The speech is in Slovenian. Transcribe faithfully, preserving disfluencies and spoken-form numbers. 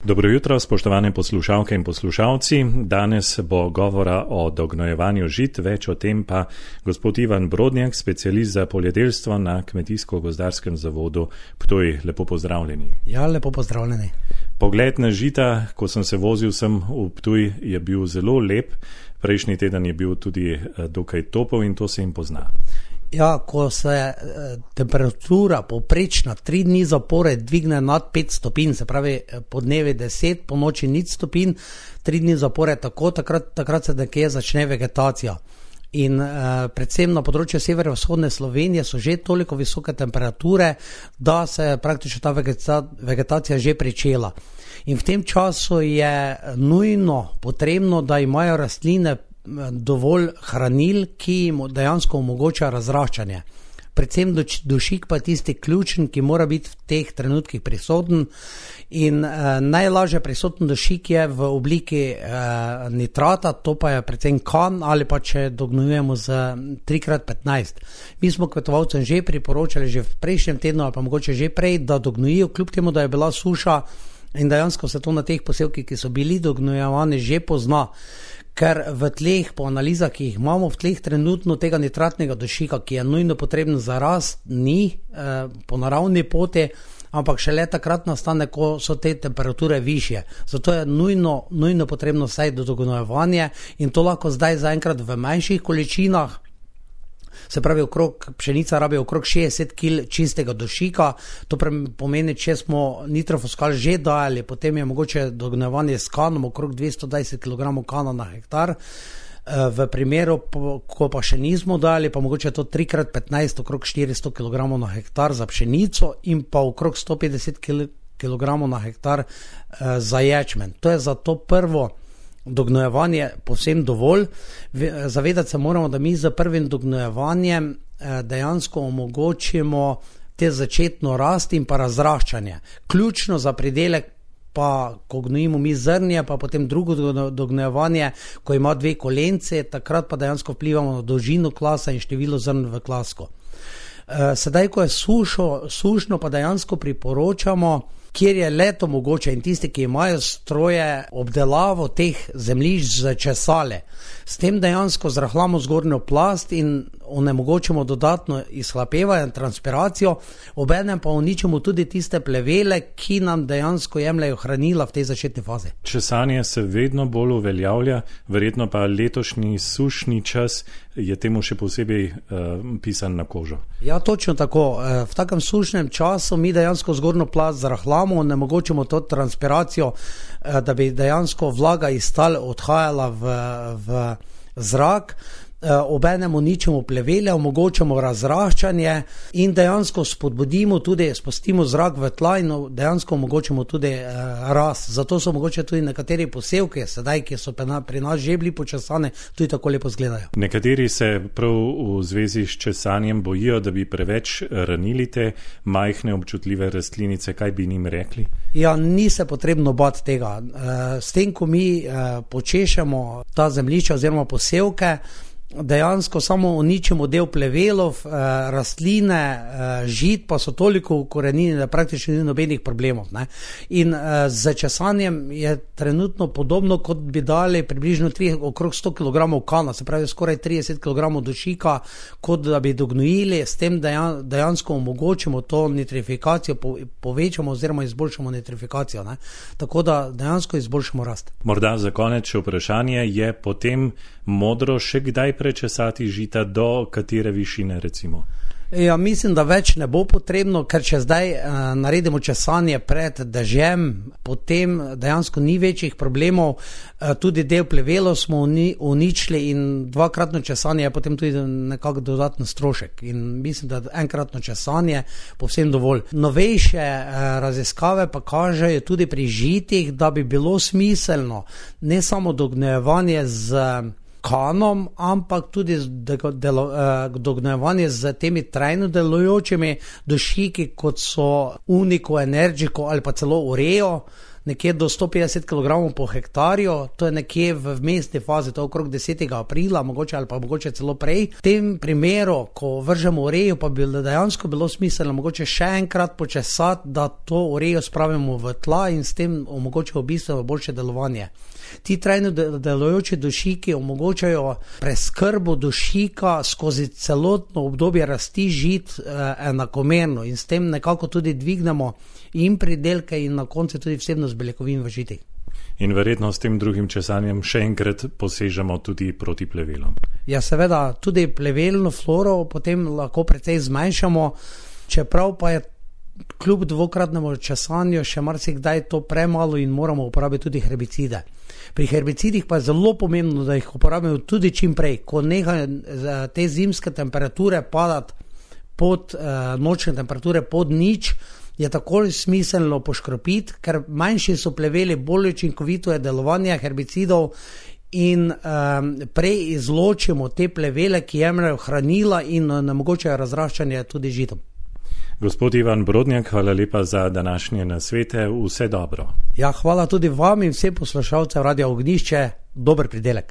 Dobro jutro, spoštovane poslušalke in poslušalci. Danes bo govora o dognojevanju žit, več o tem pa gospod Ivan Brodnjak, specialist za poljedelstvo na Kmetijsko-gozdarskem zavodu Ptuj. Lepo pozdravljeni. Ja, lepo pozdravljeni. Pogled na žita, ko sem se vozil sem v Ptuj, je bil zelo lep. Prejšnji teden je bil tudi dokaj topel in to se jim pozna. Ja, ko se eh, temperatura povprečna tri dni zapored dvigne nad pet stopinj, se pravi po dnevi deset, po noči nič stopinj, tri dni zapored tako, takrat, takrat se nekje začne vegetacija. In eh, predvsem na področju severovzhodne Slovenije so že toliko visoke temperature, da se je praktično ta vegeta, vegetacija že pričela. In v tem času je nujno potrebno, da imajo rastline dovolj hranil, ki jim dejansko omogoča razraščanje. Predvsem dušik pa je tisti ključen, ki mora biti v teh trenutkih prisoten in eh, najlažje prisoten dušik je v obliki eh, nitrata, to pa je predvsem kan ali pa če dognujemo z tri krat petnajst. Mi smo kmetovalcem že priporočali že v prejšnjem tednu ali pa mogoče že prej, da dognojijo, kljub temu, da je bila suša in dejansko se to na teh posevkih, ki so bili dognojevani, že pozna. Ker v tleh, po analizah, ki jih imamo v tleh trenutno, tega nitratnega dušika, ki je nujno potreben za rast, ni eh, po naravni poti, ampak šele takrat nastane, ko so te temperature višje. Zato je nujno, nujno potrebno vsaj dognojevanje in to lahko zdaj zaenkrat v manjših količinah. Se pravi, okrog, pšenica rabi okrog šestdeset kilogramov čistega dušika, to pomeni, če smo nitrofosfat že dali, potem je mogoče dognojevanje s kanom okrog dvesto dvajset kilogramov kana na hektar. V primeru, ko pa še nismo dali, pa mogoče to tri krat petnajst, okrog štiristo kilogramov na hektar za pšenico in pa okrog sto petdeset kilogramov na hektar za ječmen. To je za to prvo dognojevanje povsem dovolj. Zavedati se moramo, da mi z prvim dognojevanjem dejansko omogočimo te začetno rast in pa razraščanje. Ključno za pridelek pa, ko gnojimo mi zrnje, pa potem drugo dognojevanje, ko ima dve kolence, takrat pa dejansko vplivamo na dolžino klasa in število zrn v klasku. Sedaj, ko je sušo, sušno, pa dejansko priporočamo, kjer je leto mogoče in tisti, ki imajo stroje, obdelavo teh zemljišč začesale. S tem dejansko zrahljamo zgornjo plast in onemogočimo dodatno izhlapevanje, transpiracijo, obenem pa uničimo tudi tiste plevele, ki nam dejansko jemljajo hranila v tej začetni fazi. Česanje se vedno bolj uveljavlja, verjetno pa letošnji sušni čas je temu še posebej uh, pisan na kožo. Ja, točno tako. V takem sušnem času mi dejansko zgornjo plast zrahljamo, onemogočimo to transpiracijo, da bi dejansko vlaga iz tal odhajala v, v zrak, obenem uničimo plevele, omogočamo razraščanje in dejansko spodbudimo tudi, spustimo zrak v tla in dejansko omogočimo tudi uh, rast. Zato so mogoče tudi nekateri posevki, sedaj, ki so pri nas že bili počesane, tudi tako lepo izgledajo. Nekateri se prav v zvezi s česanjem bojijo, da bi preveč ranili te majhne občutljive rastlinice. Kaj bi njim rekli? Ja, ni se potrebno bati tega. Uh, s tem, ko mi uh, počešemo ta zemljišča oziroma posevke, dejansko samo uničimo del plevelov, eh, rastline, eh, žit pa so toliko ukorenjene, da praktično ni nobenih problemov. Ne? In eh, z česanjem je trenutno podobno, kot bi dali približno tri, okrog sto kilogramov kana, se pravi skoraj trideset kilogramov dušika, kot da bi dognojili, s tem dejan, dejansko omogočimo to nitrifikacijo, po, povečamo oziroma izboljšamo nitrifikacijo. Ne? Tako da dejansko izboljšamo rast. Morda za konec še vprašanje, je potem modro še kdaj prečesati žita, do katere višine recimo? Ja, mislim, da več ne bo potrebno, ker če zdaj uh, naredimo česanje pred dežjem, potem dejansko ni večjih problemov, uh, tudi del plevelov smo uni, uničili in dvakratno česanje je potem tudi nekako dodatno strošek in mislim, da enkratno česanje povsem dovolj. Novejše uh, raziskave pa kažejo tudi pri žitih, da bi bilo smiselno ne samo dognojevanje z kanom, ampak tudi dognojevanje z temi trajno delujočimi dušiki, kot so Unico, Energico ali pa celo Ureo, nekje do sto petdeset kilogramov po hektarju, to je nekje v vmesni fazi, to je okrog desetega aprila, mogoče ali pa mogoče celo prej. V tem primeru, ko vržemo urejo, pa bi dejansko bilo smiselno mogoče še enkrat počesati, da to urejo spravimo v tla in s tem omogočimo bistveno boljše delovanje. Ti trajno delujoči dušiki omogočajo preskrbo dušika skozi celotno obdobje rasti žit eh, enakomerno in s tem nekako tudi dvignemo in pridelke in na koncu tudi vsebnost beljakovin v žitih. In verjetno s tem drugim česanjem še enkrat posežemo tudi proti plevelom. Ja, seveda, tudi plevelno floro potem lahko precej zmanjšamo, čeprav pa je kljub dvokratnemu česanju še marsikdaj to premalo in moramo uporabiti tudi herbicide. Pri herbicidih pa je zelo pomembno, da jih uporabimo tudi čim prej, ko nehajo te zimske temperature padati pod eh, nočne temperature pod nič, je takoj smiselno poškropiti, ker manjši so pleveli, bolj učinkovito je delovanje herbicidov in um, prej izločimo te plevele, ki jemljajo hranila in onemogočajo razraščanje tudi žitom. Gospod Ivan Brodnjak, hvala lepa za današnje nasvete, vse dobro. Ja, hvala tudi vam in vsem poslušalcem Radia Ognjišče, dober pridelek.